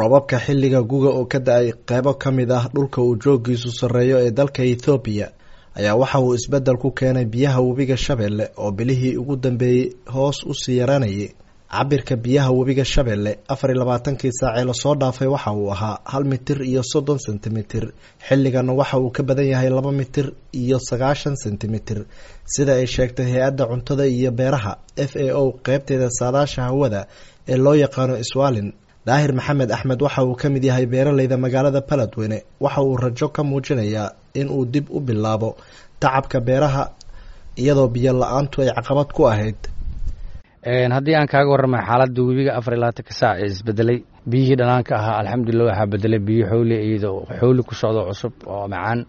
Roobabka xilliga guga oo ka da'ay qaybo ka mid ah dhulka uu joogiisu sarreeyo ee dalka Itoobiya ayaa waxa uu isbeddel ku keenay biyaha webiga Shabeelle oo bilihii ugu dambeeyay hoos u sii yaraanayay. Cabirka biyaha webiga Shabeelle 24kii saac ee lasoo dhaafay waxa uu ahaa 1 mitir iyo 30 sentimitir, xilligana waxa uu ka badan yahay 2 mitir iyo 90 sentimitir, sida ay sheegtay hay-adda cuntada iyo beeraha FAO qeybteeda saadaasha hawada ee loo yaqaano Iswaalin. Daahir Maxamed Axmed waxa uu ka mid yahay beeraleyda magaalada Beledweyne. Waxa uu rajo ka muujinayaa in uu dib u bilaabo tacabka beeraha iyadoo biyo la-aantu ay caqabad ku ahayd. Haddii aan kaaga warramay xaaladda webiga 24-ka saac ee isbedelay, biyihii dhanaanka ahaa alxamdulilah waxaa bedelay biyo xowli, iyadoo xowli ku socdo cusub oo macaan,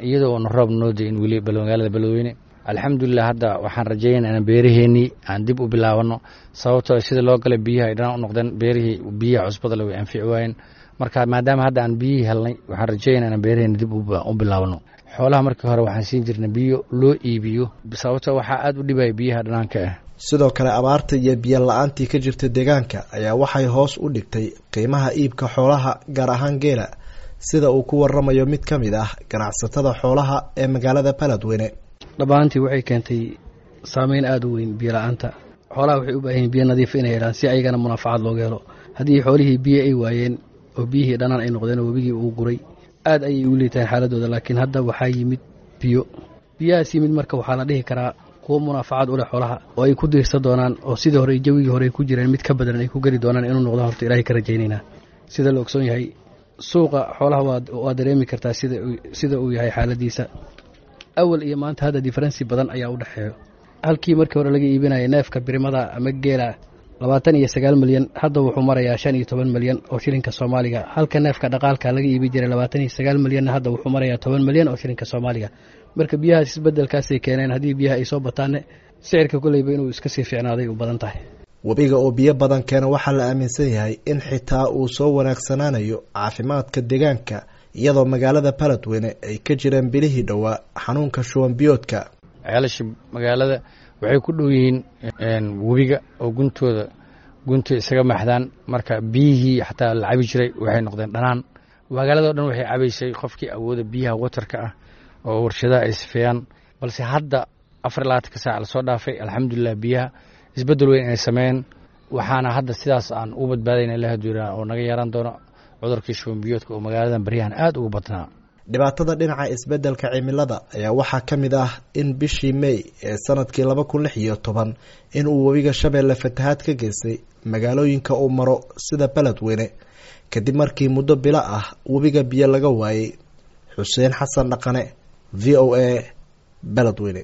iyadoo na roob noo da-in weli magaalada Beledweyne. Alxamdulilah, hadda waxaan rajaynaa inaan beeraheennii aan dib u bilaabano, sababtoo sida loo galay biyaha ay dhanaan u noqdeen, beerihii biyaha cusbada le way anfici waayeen. Marka maadaama hadda aan biyihii helnay, waxaan rajaynaa inaan beeraheenni dib u bilaabano. Xoolaha markii hore waxaan siin jirnay biyo loo iibiyo, sababtoo waxaa aad u dhibaya biyaha dhanaanka ah. Sidoo kale abaarta iyo biyo la-aantii ka jirta deegaanka ayaa waxay hoos u dhigtay qiimaha iibka xoolaha, gaar ahaan geela, sida uu ku waramayo mid ka mid ah ganacsatada xoolaha ee magaalada Beledweyne. Dhammaantii waxay keentay saameyn aada u weyn biyo la-aanta. Xoolaha waxay u baahan yihin biyo nadiif inay helaan si ayagana munaafacaad looga helo. Haddii xoolihii biyo ay waayeen oo biyihii dhanaan ay noqdeen oo webigii uu guray, aad ayay u liitaan xaaladooda. Laakiin hadda waxaa yimid biyo. Biyahaas yimid marka waxaa la dhihi karaa kuwo munaafacaad u leh xoolaha oo ay ku diirsan doonaan, oo sidii hore jawigii hore ay ku jireen mid ka badan ay ku geli doonaan inuu noqdo horta Ilaahay ka rajaynaynaa. Sida la ogsoon yahay, suuqa xoolaha waa dareemi kartaa sida uu yahay xaaladiisa awal iyo maanta. Hadda difference badan ayaa u dhexeeyo. Halkii markii hore laga iibinaya neefka birimada ama geela 29 milyan, hadda wuxuu marayaa 15 milyan oo shilinka Soomaaliga. Halka neefka dhaqaalka laga iibi jiray 29 milyanna, hadda wuxuu marayaa 10 milyan oo shilinka Soomaaliga. Marka biyahaas isbedelkaasay keeneen. Haddii biyaha ay soo bataanne, sicirka koleyba inuu iska sii fiicnaaday u badan tahay. Webiga oo biyo badan keena waxaa la aaminsan yahay in xitaa uu soo wanaagsanaanayo caafimaadka deegaanka, iyadoo magaalada Beledweyne ay ka jireen bilihii dhowaa xanuunka shuban biyoodka. Ceelasha magaalada waxay ku dhow yihiin webiga oo guntooda gunta isaga maxdaan. Marka biyihii xataa la cabi jiray waxay noqdeen dhanaan. Magaalada o dhan waxay cabaysay qofkii awooda biyaha watarka ah oo warshadaha ay sifeeyaan. Balse hadda 24-ka saac lasoo dhaafay, alxamdulilah, biyaha isbeddel weyn inay sameeyeen. Waxaana hadda sidaas aan u badbaadayna ilaah duuraa oo naga yeeran doono cudurkii shuban biyoodka oo magaaladan baryahan aada ugu badnaa. Dhibaatada dhinaca isbeddelka cimilada ayaa waxaa ka mid ah in bishii May ee sanadkii 2016 in uu webiga Shabeelle fatahaad ka geystay magaalooyinka uu maro sida Beledweyne, kadib markii muddo bilo ah webiga biyo laga waayey. Xuseen Xasan Dhaqane, VOA, Beledweyne.